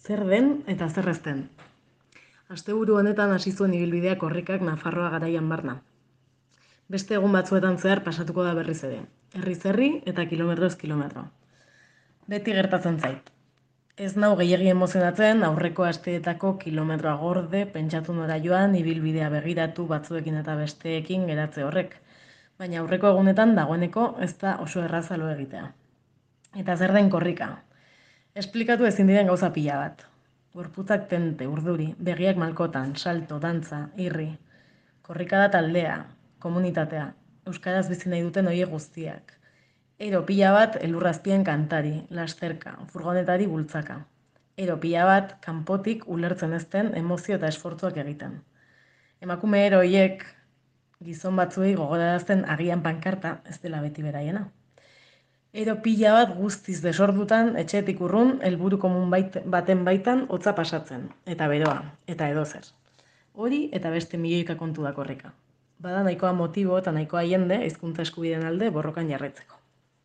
Zer den eta zer ez den. Asteburu honetan hasi zuen ibilbidea korrikak Nafarroa garaian barna. Beste egun batzuetan zehar pasatuko da berriz ere. Herriz herri eta kilometroz kilometro. Beti gertatzen zait. Ez nau gehiegi emozionatzen aurreko asteetako kilometroa gorde, pentsatu nora joan, ibilbidea begiratu batzuekin eta besteekin geratze horrek. Baina aurreko egunetan dagoeneko ez da oso erraza lo egitea. Eta zer den korrika? Esplikatu ezin diren gauza pila bat. Gorputzak tente, urduri, begiak malkotan, salto, dantza, irri. Korrika da taldea, komunitatea, euskaraz bizi nahi duten horiek guztiak. Ero pila bat elurrazpien kantari, lasterka, furgonetari bultzaka. Ero pila bat kanpotik ulertzen ezten emozio eta esfortzuak egiten. Emakume ero horiek gizon batzuei gogorarazten agian pankarta ez dela beti beraiena. Ero pila bat guztiz desordutan, etxetik urrun, helburu komun baten baitan hotza pasatzen. Eta beroa, eta edozer. Hori eta beste milioika kontu da korrika. Bada nahikoa motibo eta nahikoa jende hizkuntza eskubideen alde borrokan jarraitzeko.